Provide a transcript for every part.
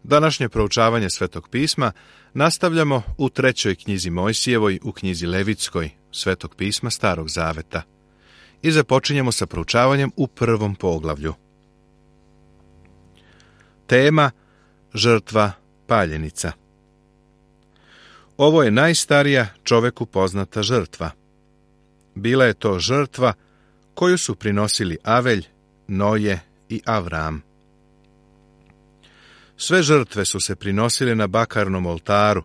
Današnje proučavanje Svetog pisma nastavljamo u 3. knjizi Mojsijevoj, u knjizi Levitskoj, Svetog pisma Starog zaveta. I započinjemo sa proučavanjem u 1. poglavlju. Tema: žrtva paljenica. Ovo je najstarija čoveku poznata žrtva. Bila je to žrtva koju su prinosili Avelj, Noje i Avram. Sve žrtve su se prinosile na bakarnom oltaru,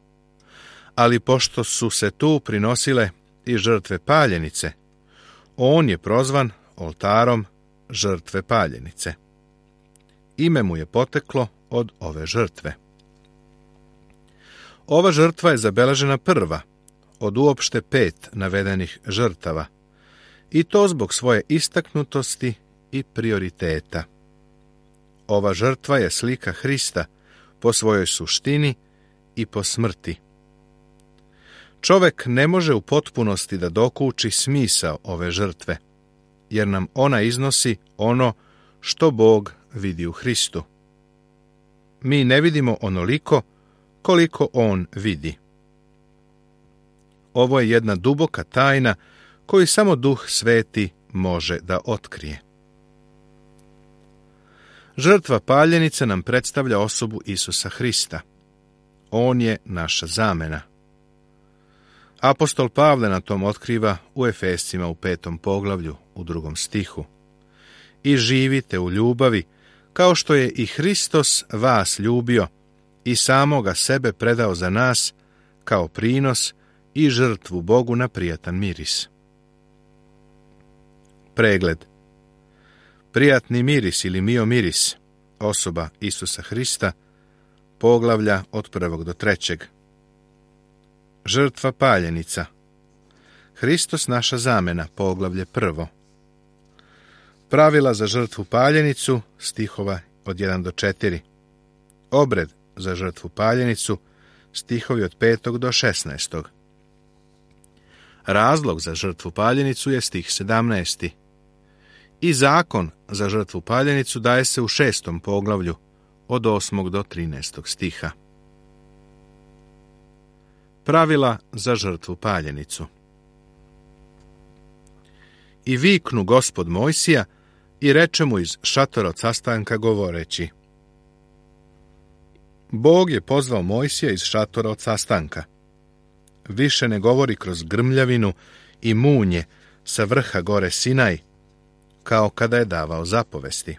ali pošto su se tu prinosile i žrtve paljenice, on je prozvan oltarom žrtve paljenice. Ime mu je poteklo od ove žrtve. Ova žrtva je zabeležena prva od uopšte 5 navedenih žrtava, i to zbog svoje istaknutosti i prioriteta. Ova žrtva je slika Hrista po svojoj suštini i po smrti. Čovek ne može u potpunosti da dokuči smisao ove žrtve, jer nam ona iznosi ono što Bog vidi u Hristu. Mi ne vidimo onoliko koliko On vidi. Ovo je jedna duboka tajna koju samo Duh Sveti može da otkrije. Žrtva paljenice nam predstavlja osobu Isusa Hrista. On je naša zamena. Apostol Pavle na tom otkriva u Efescima u 5. poglavlju u 2. stihu. I živite u ljubavi, kao što je i Hristos vas ljubio i samoga sebe predao za nas kao prinos i žrtvu Bogu na prijatan miris. Pregled. Prijatni miris ili miomiris, osoba Isusa Hrista, poglavlja od 1. do 3. Žrtva paljenica. Hristos naša zamena, poglavlje 1. Pravila za žrtvu paljenicu, stihova od 1 do 4. Obred za žrtvu paljenicu, stihovi od 5. do 16. Razlog za žrtvu paljenicu je stih 17. I zakon za žrtvu paljenicu daje se u 6. poglavlju od 8. do 13. stiha. Pravila za žrtvu paljenicu. I viknu Gospod Mojsija i reče mu iz šatora od sastanka govoreći. Bog je pozvao Mojsija iz šatora od sastanka. Više ne govori kroz grmljavinu i munje sa vrha gore Sinaj, kao kada je davao zapovesti.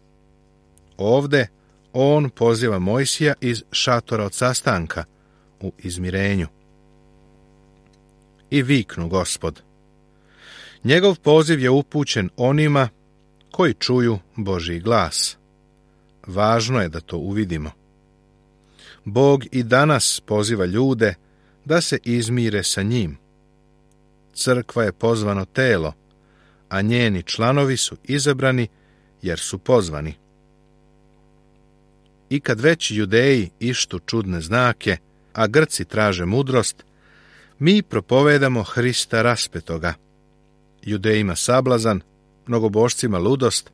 Ovde on poziva Mojsija iz šatora od sastanka u izmirenju. I viknu Gospod. Njegov poziv je upućen onima koji čuju Božji glas. Važno je da to uvidimo. Bog i danas poziva ljude da se izmire sa njim. Crkva je pozvano telo, a njeni članovi su izabrani jer su pozvani. I kad već Judeji ištu čudne znake, a Grci traže mudrost, mi propovedamo Hrista raspetoga. Judejima sablazan, mnogobošcima ludost,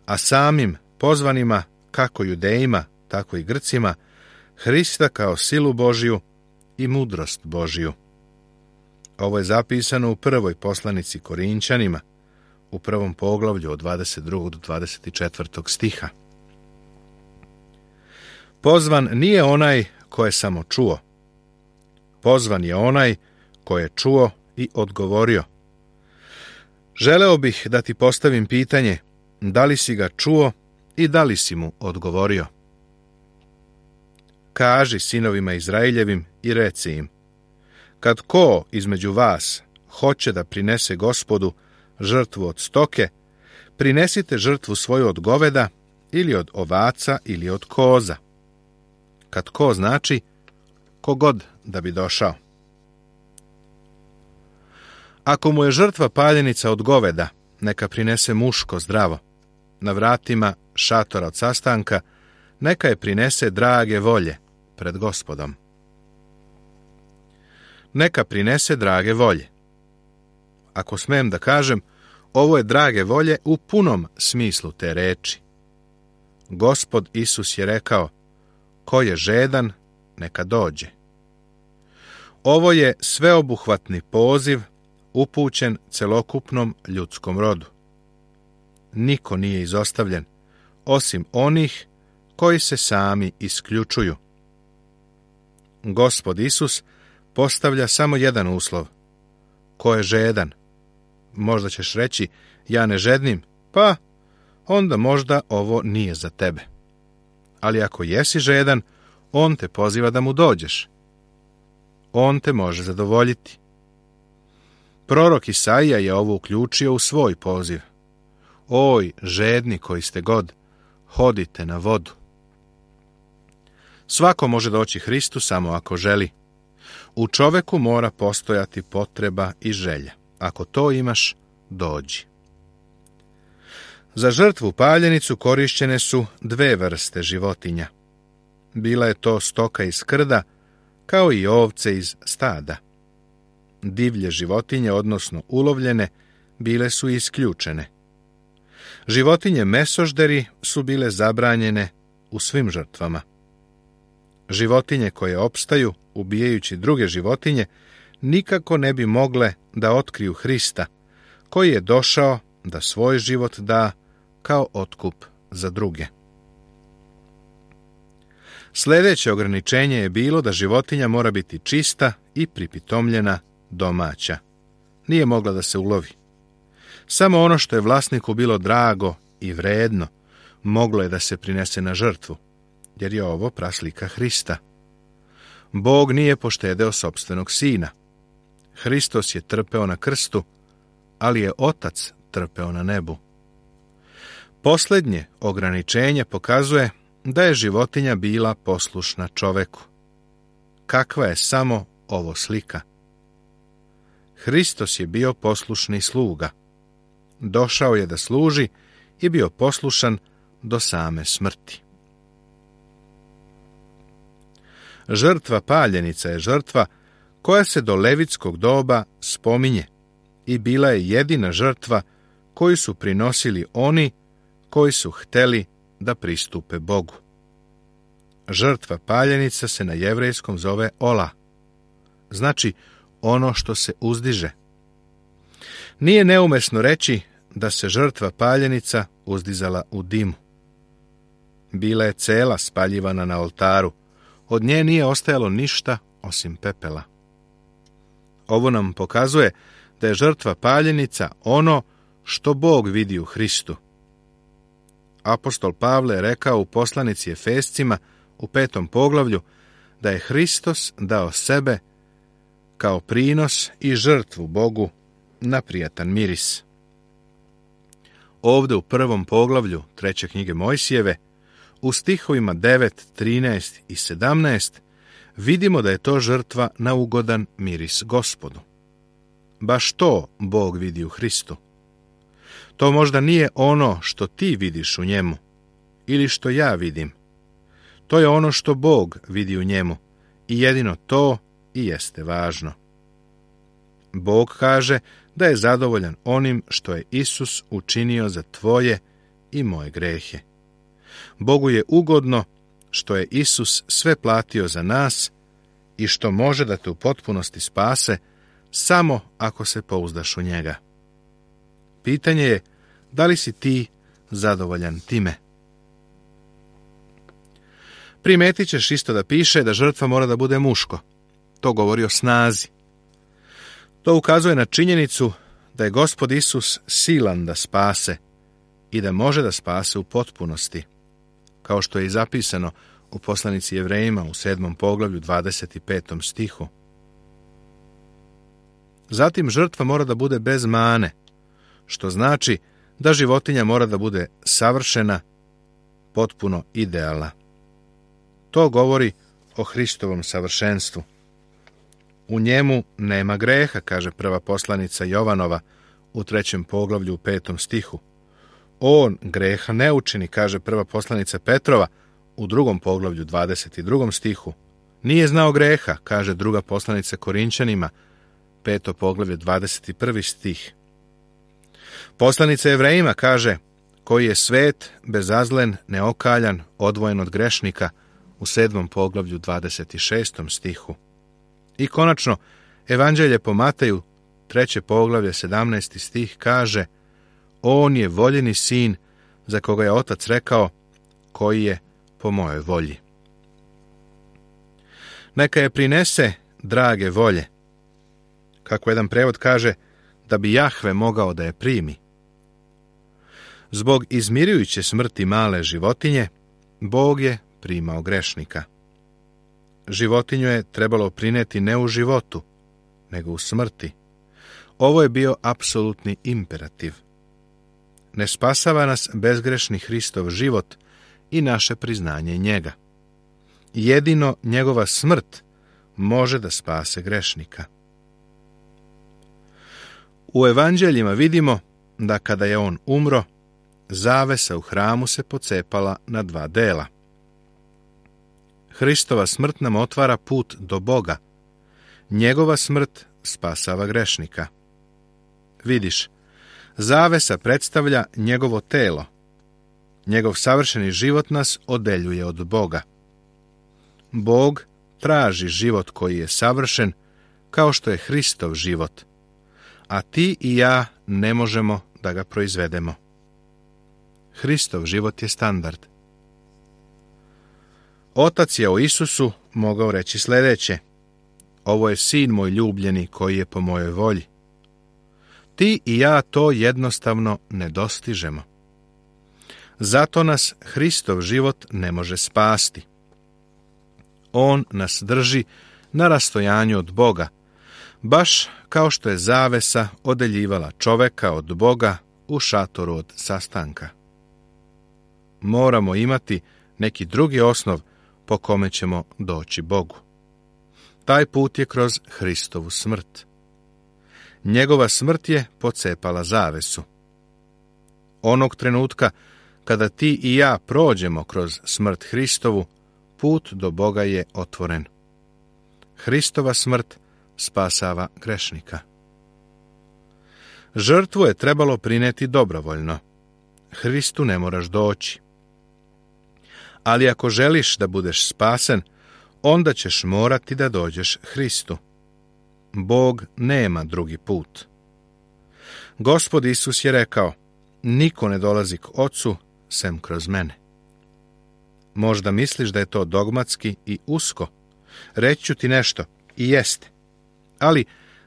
a samim pozvanima, kako Judejima, tako i Grcima, Hrista kao silu Božiju i mudrost Božiju. Ovo je zapisano u 1. poslanici Korinćanima, u 1. poglavlju od 22. do 24. stiha. Pozvan nije onaj ko je samo čuo. Pozvan je onaj ko je čuo i odgovorio. Želeo bih da ti postavim pitanje, da li si ga čuo i da li si mu odgovorio? Kaži sinovima Izraeljevim i reci im, kad ko između vas hoće da prinese Gospodu žrtvu od stoke, prinesite žrtvu svoju od goveda ili od ovaca ili od koza. Kad ko znači, kogod da bi došao. Ako mu je žrtva paljenica od goveda, neka prinese muško zdravo. Na vratima šatora od sastanka, neka je prinese drage volje pred Gospodom. Neka prinese drage volje. Ako smem da kažem, ovo je drage volje u punom smislu te reči. Gospod Isus je rekao, ko je žedan, neka dođe. Ovo je sveobuhvatni poziv upućen celokupnom ljudskom rodu. Niko nije izostavljen, osim onih koji se sami isključuju. Gospod Isus postavlja samo jedan uslov. Ko je žedan? Možda ćeš reći, ja ne žednim, pa onda možda ovo nije za tebe. Ali ako jesi žedan, on te poziva da mu dođeš. On te može zadovoljiti. Prorok Isaija je ovo uključio u svoj poziv. Oj, žedni koji ste god, hodite na vodu. Svako može doći Hristu samo ako želi. U čoveku mora postojati potreba i želja. Ako to imaš, dođi. Za žrtvu paljenicu korišćene su dve vrste životinja. Bila je to stoka iz krda, kao i ovce iz stada. Divlje životinje, odnosno ulovljene, bile su isključene. Životinje mesožderi su bile zabranjene u svim žrtvama. Životinje koje opstaju, ubijajući druge životinje, nikako ne bi mogle da otkriju Hrista, koji je došao da svoj život da kao otkup za druge. Sljedeće ograničenje je bilo da životinja mora biti čista i pripitomljena domaća. Nije mogla da se ulovi. Samo ono što je vlasniku bilo drago i vredno moglo je da se prinese na žrtvu, jer je ovo praslika Hrista. Bog nije poštedeo sopstvenog sina. Hristos je trpeo na krstu, ali je Otac trpeo na nebu. Posljednje ograničenje pokazuje da je životinja bila poslušna čoveku. Kakva je samo ovo slika? Hristos je bio poslušni sluga. Došao je da služi i bio poslušan do same smrti. Žrtva paljenica je žrtva koja se do levitskog doba spominje i bila je jedina žrtva koju su prinosili oni koji su hteli da pristupe Bogu. Žrtva paljenica se na jevrejskom zove ola, znači ono što se uzdiže. Nije neumesno reći da se žrtva paljenica uzdizala u dimu. Bila je cela spaljivana na oltaru, od nje nije ostajalo ništa osim pepela. Ovo nam pokazuje da je žrtva paljenica ono što Bog vidi u Hristu. Apostol Pavle je rekao u poslanici Efescima u 5. poglavlju da je Hristos dao sebe kao prinos i žrtvu Bogu na prijatan miris. Ovdje u 1. poglavlju 3. knjige Mojsijeve, u stihovima 9, 13 i 17, vidimo da je to žrtva na ugodan miris Gospodu. Baš to Bog vidi u Hristu. To možda nije ono što ti vidiš u njemu, ili što ja vidim. To je ono što Bog vidi u njemu, i jedino to i jeste važno. Bog kaže da je zadovoljan onim što je Isus učinio za tvoje i moje grehe. Bogu je ugodno što je Isus sve platio za nas i što može da te u potpunosti spase samo ako se pouzdaš u njega. Pitanje je, da li si ti zadovoljan time? Primetit ćeš isto da piše da žrtva mora da bude muško. To govori o snazi. To ukazuje na činjenicu da je Gospod Isus silan da spase i da može da spase u potpunosti, kao što je i zapisano u poslanici Jevrejima u 7. poglavlju 25. stihu. Zatim žrtva mora da bude bez mane, što znači da životinja mora da bude savršena, potpuno idealna. To govori o Hristovom savršenstvu. U njemu nema greha, kaže prva poslanica Jovanova u 3. poglavlju u 5. stihu. On greha ne učini, kaže prva poslanica Petrova u 2. poglavlju 22. stihu. Nije znao greha, kaže druga poslanica Korinčanima, 5. poglavlje 21. stih. Poslanica Jevrejima kaže, koji je svet, bezazlen, neokaljan, odvojen od grešnika, u 7. poglavlju 26. stihu. I konačno, Evanđelje po Mateju, 3. poglavlje, 17. stih kaže: On je voljeni sin za koga je otac rekao, koji je po mojoj volji. Neka je prinese drage volje. Kako jedan prevod kaže, da bi Jahve mogao da je primi. Zbog izmirujuće smrti male životinje, Bog je primao grešnika. Životinju je trebalo prineti ne u životu, nego u smrti. Ovo je bio apsolutni imperativ. Ne spasava nas bezgrešni Hristov život i naše priznanje njega. Jedino njegova smrt može da spase grešnika. U evanđeljima vidimo da kada je on umro, zavesa u hramu se pocepala na 2 dela. Hristova smrt nam otvara put do Boga. Njegova smrt spasava grešnika. Vidiš, zavesa predstavlja njegovo telo. Njegov savršeni život nas odeljuje od Boga. Bog traži život koji je savršen, kao što je Hristov život, a ti i ja ne možemo da ga proizvedemo. Hristov život je standard. Otac je o Isusu mogao reći sljedeće: Ovo je sin moj ljubljeni koji je po mojoj volji. Ti i ja to jednostavno ne dostižemo. Zato nas Hristov život ne može spasti. On nas drži na rastojanju od Boga, baš kao što je zavesa odeljivala čoveka od Boga u šatoru od sastanka. Moramo imati neki drugi osnov po kome ćemo doći Bogu. Taj put je kroz Hristovu smrt. Njegova smrt je pocepala zavesu. Onog trenutka kada ti i ja prođemo kroz smrt Hristovu, put do Boga je otvoren. Hristova smrt spasava grešnika. Žrtvu je trebalo prineti dobrovoljno. Hristu ne moraš doći. Ali ako želiš da budeš spasen, onda ćeš morati da dođeš Hristu. Bog nema drugi put. Gospod Isus je rekao: Niko ne dolazi k Ocu sem kroz mene. Možda misliš da je to dogmatski i usko. Reći ću ti nešto, i jeste. Ali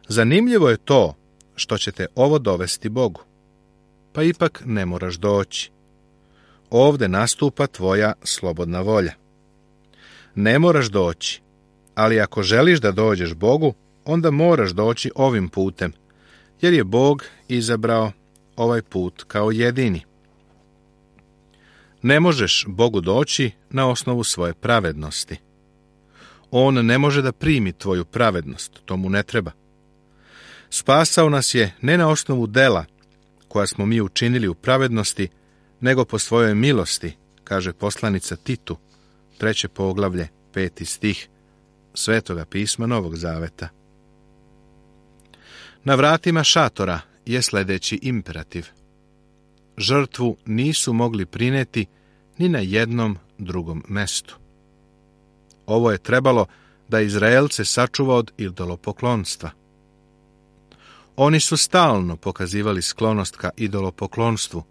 zanimljivo je to što će te ovo dovesti Bogu. Pa ipak ne moraš doći. Ovde nastupa tvoja slobodna volja. Ne moraš doći, ali ako želiš da dođeš Bogu, onda moraš doći ovim putem, jer je Bog izabrao ovaj put kao jedini. Ne možeš Bogu doći na osnovu svoje pravednosti. On ne može da primi tvoju pravednost, to mu ne treba. Spasao nas je ne na osnovu dela koja smo mi učinili u pravednosti, nego po svojoj milosti, kaže poslanica Titu, 3. poglavlje, 5. stih Svetoga pisma Novog Zaveta. Na vratima šatora je sljedeći imperativ. Žrtvu nisu mogli prineti ni na jednom drugom mestu. Ovo je trebalo da Izraelce sačuva od idolopoklonstva. Oni su stalno pokazivali sklonost ka idolopoklonstvu,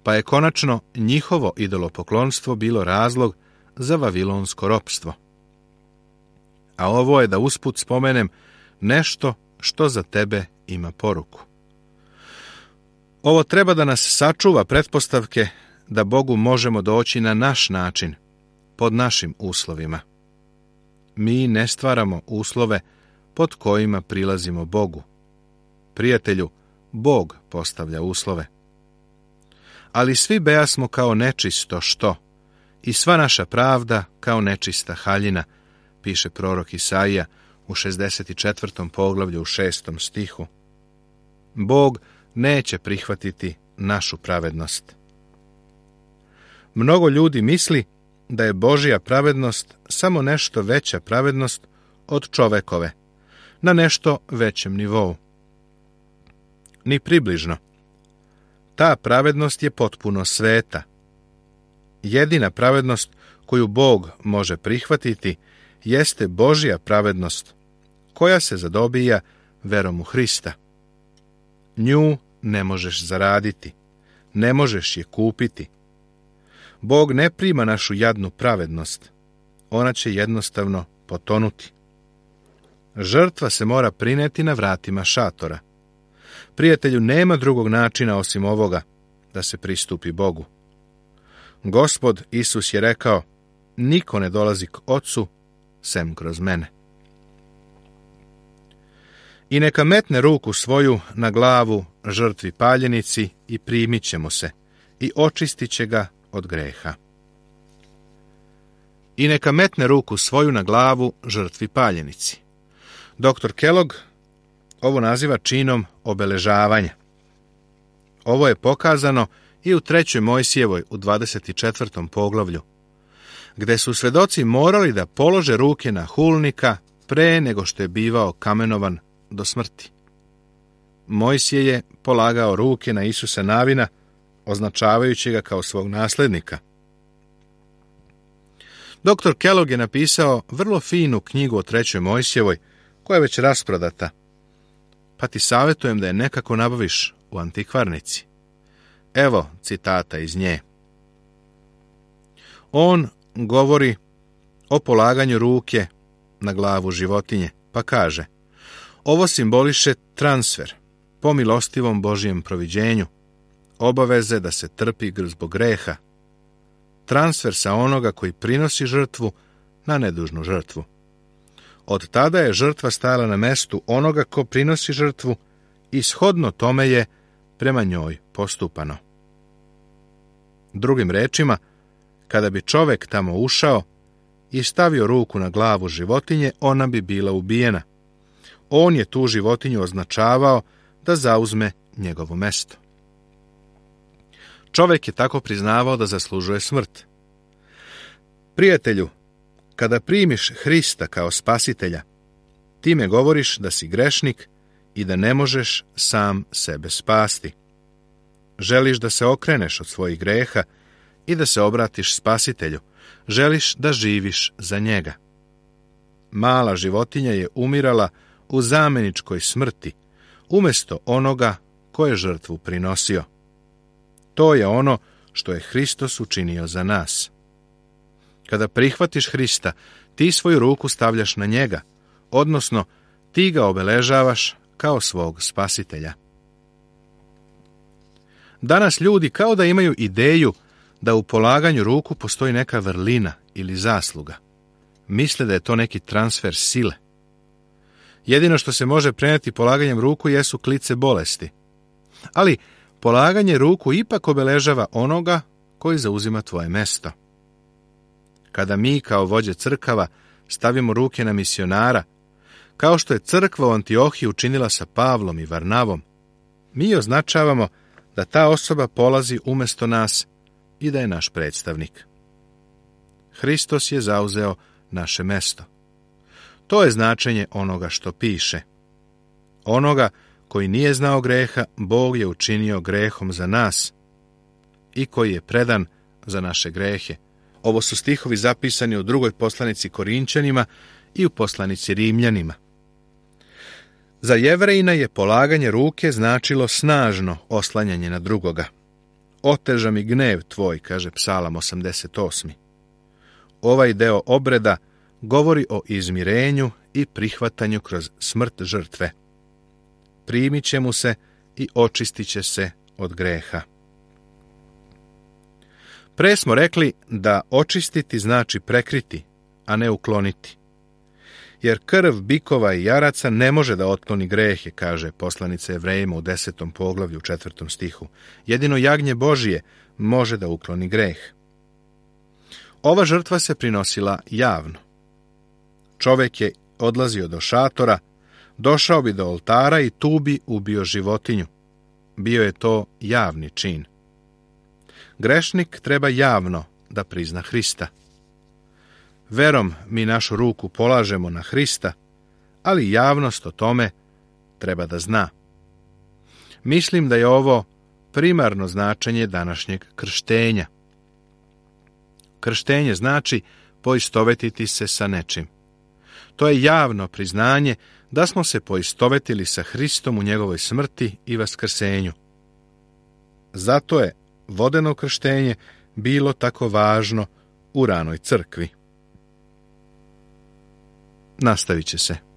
pa je konačno njihovo idolopoklonstvo bilo razlog za vavilonsko ropstvo. A ovo je, da usput spomenem, nešto što za tebe ima poruku. Ovo treba da nas sačuva pretpostavke da Bogu možemo doći na naš način, pod našim uslovima. Mi ne stvaramo uslove pod kojima prilazimo Bogu. Prijatelju, Bog postavlja uslove. Ali svi bejasmo kao nečisto što, i sva naša pravda kao nečista haljina, piše prorok Isaija u 64. poglavlju u 6. stihu. Bog neće prihvatiti našu pravednost. Mnogo ljudi misli da je Božja pravednost samo nešto veća pravednost od čovekove, na nešto većem nivou. Ni približno. Ta pravednost je potpuno sveta. Jedina pravednost koju Bog može prihvatiti, jeste Božja pravednost, koja se zadobija verom u Hrista. Nju ne možeš zaraditi, ne možeš je kupiti. Bog ne prima našu jadnu pravednost, ona će jednostavno potonuti. Žrtva se mora prineti na vratima šatora. Prijatelju, nema drugog načina osim ovoga da se pristupi Bogu. Gospod Isus je rekao, niko ne dolazi k Ocu sem kroz mene. I neka metne ruku svoju na glavu žrtvi paljenici i primit će mu se i očistit će ga od greha. I neka metne ruku svoju na glavu žrtvi paljenici. Dr. Kellogg ovo naziva činom obeležavanja. Ovo je pokazano i u 3. Mojsijevoj u 24. poglavlju, gde su svedoci morali da polože ruke na hulnika pre nego što je bivao kamenovan do smrti. Mojsije je polagao ruke na Isusa Navina, označavajući ga kao svog naslednika. Dr. Kellogg je napisao vrlo finu knjigu o 3. Mojsijevoj, koja je već rasprodata, pa ti savjetujem da je nekako nabaviš u antikvarnici. Evo citata iz nje. On govori o polaganju ruke na glavu životinje, pa kaže: ovo simboliše transfer po milostivom Božijem proviđenju, obaveze da se trpi zbog greha, transfer sa onoga koji prinosi žrtvu na nedužnu žrtvu. Od tada je žrtva stajala na mestu onoga ko prinosi žrtvu i shodno tome je prema njoj postupano. Drugim rečima, kada bi čovek tamo ušao i stavio ruku na glavu životinje, ona bi bila ubijena. On je tu životinju označavao da zauzme njegovo mesto. Čovek je tako priznavao da zaslužuje smrt. Prijatelju, kada primiš Hrista kao spasitelja, time govoriš da si grešnik i da ne možeš sam sebe spasti. Želiš da se okreneš od svojih greha i da se obratiš spasitelju. Želiš da živiš za njega. Mala životinja je umirala u zameničkoj smrti, umjesto onoga ko je žrtvu prinosio. To je ono što je Hristos učinio za nas. Kada prihvatiš Hrista, ti svoju ruku stavljaš na njega, odnosno ti ga obeležavaš kao svog spasitelja. Danas ljudi kao da imaju ideju da u polaganju ruku postoji neka vrlina ili zasluga. Misle da je to neki transfer sile. Jedino što se može prenijeti polaganjem ruku jesu klice bolesti. Ali polaganje ruku ipak obeležava onoga koji zauzima tvoje mesto. Kada mi kao vođe crkava stavimo ruke na misionara, kao što je crkva u Antiohiji učinila sa Pavlom i Varnavom, mi označavamo da ta osoba polazi umjesto nas i da je naš predstavnik. Hristos je zauzeo naše mesto. To je značenje onoga što piše. Onoga koji nije znao greha, Bog je učinio grehom za nas i koji je predan za naše grehe. Ovo su stihovi zapisani u 2. poslanici Korinčanima i u poslanici Rimljanima. Za Jevrejina je polaganje ruke značilo snažno oslanjanje na drugoga. Oteža mi gnev tvoj, kaže Psalam 88. Ovaj deo obreda govori o izmirenju i prihvatanju kroz smrt žrtve. Primit će mu se i očistit će se od greha. Pre smo rekli da očistiti znači prekriti, a ne ukloniti. Jer krv bikova i jaraca ne može da otkloni grehe, kaže poslanica Jevrejima u 10. poglavlju u 4. stihu. Jedino jagnje Božije može da ukloni greh. Ova žrtva se prinosila javno. Čovek je odlazio do šatora, došao bi do oltara i tu bi ubio životinju. Bio je to javni čin. Grešnik treba javno da prizna Hrista. Verom mi našu ruku polažemo na Hrista, ali javnost o tome treba da zna. Mislim da je ovo primarno značenje današnjeg krštenja. Krštenje znači poistovetiti se sa nečim. To je javno priznanje da smo se poistovetili sa Hristom u njegovoj smrti i vaskrsenju. Zato je vodeno krštenje bilo tako važno u ranoj crkvi. Nastavit će se.